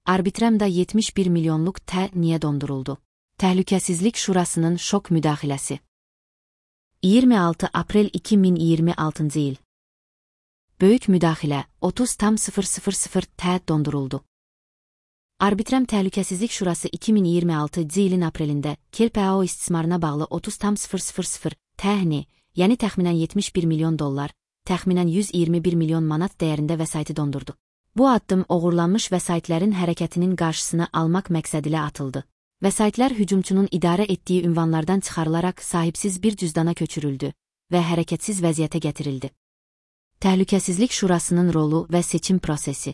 Arbitramda 71 milyonluq niyə donduruldu? Təhlükəsizlik Şurasının şok müdaxiləsi. 26 aprel 2026 il. Böyük müdaxilə 30.000 donduruldu. Arbitram Təhlükəsizlik Şurası 2026 ilin aprelində KELP-AO istismarına bağlı 30.000 təhni, yəni təxminən 71 milyon dollar, təxminən 121 milyon manat dəyərində vəsaiti dondurdu. Bu addım oğurlanmış vəsaitlərin hərəkətinin qarşısını almaq məqsədilə atıldı. Vəsaitlər hücumçunun idarə etdiyi ünvanlardan çıxarılaraq sahibsiz bir cüzdana köçürüldü və hərəkətsiz vəziyyətə gətirildi. Təhlükəsizlik Şurasının rolu və seçim prosesi.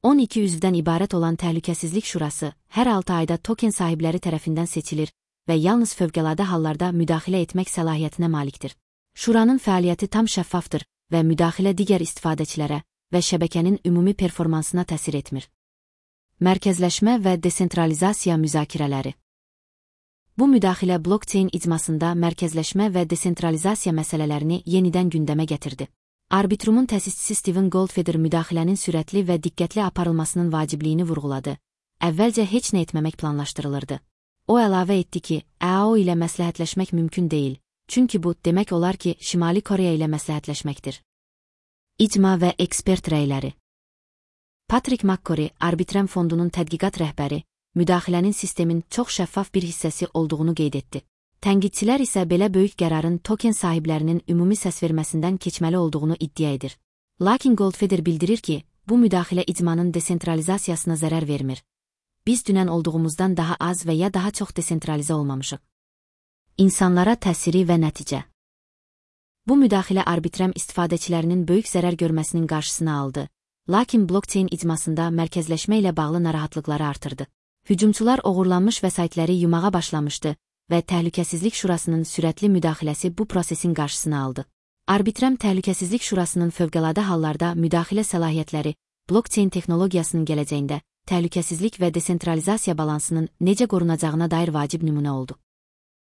12 üzvdən ibarət olan Təhlükəsizlik Şurası hər 6 ayda token sahibləri tərəfindən seçilir və yalnız fövqəladə hallarda müdaxilə etmək səlahiyyətinə malikdir. Şuranın fəaliyyəti tam şəffafdır və müdaxilə digər istifadəçilərə və şəbəkənin ümumi performansına təsir etmir. Mərkəzləşmə və desentralizasiya müzakirələri. Bu müdaxilə blokçeyn icmasında mərkəzləşmə və desentralizasiya məsələlərini yenidən gündəmə gətirdi. Arbitrumun təsisçisi Steven Goldfeder müdaxilənin sürətli və diqqətli aparılmasının vacibliyini vurğuladı. Əvvəlcə heç nə etməmək planlaşdırılırdı. O əlavə etdi ki, AO ilə məsləhətləşmək mümkün deyil, çünki bu demək olar ki, Şimali Koreya ilə məsləhətləşməkdir. İcma və ekspert rəyləri. Patrick McCrory, Arbitram fondunun tədqiqat rəhbəri, müdaxilənin sistemin çox şəffaf bir hissəsi olduğunu qeyd etdi. Tənqidçilər isə belə böyük qərarın token sahiblərinin ümumi səsverməsindən keçməli olduğunu iddia edir. Lakin Goldfeder bildirir ki, bu müdaxilə icmanın desentralizasiyasına zərər vermir. Biz dünən olduğumuzdan daha az və ya daha çox desentralizə olmamışıq. İnsanlara təsiri və nəticə. Bu müdaxilə Arbitram istifadəçilərinin böyük zərər görməsinin qarşısını aldı, lakin blokçeyn icmasında mərkəzləşmə ilə bağlı narahatlıqları artırdı. Hücumçular oğurlanmış vəsaitləri yumağa başlamışdı və Təhlükəsizlik Şurasının sürətli müdaxiləsi bu prosesin qarşısını aldı. Arbitram Təhlükəsizlik Şurasının fövqəladə hallarda müdaxilə səlahiyyətləri, blokçeyn texnologiyasının gələcəyində təhlükəsizlik və desentralizasiya balansının necə qorunacağına dair vacib nümunə oldu.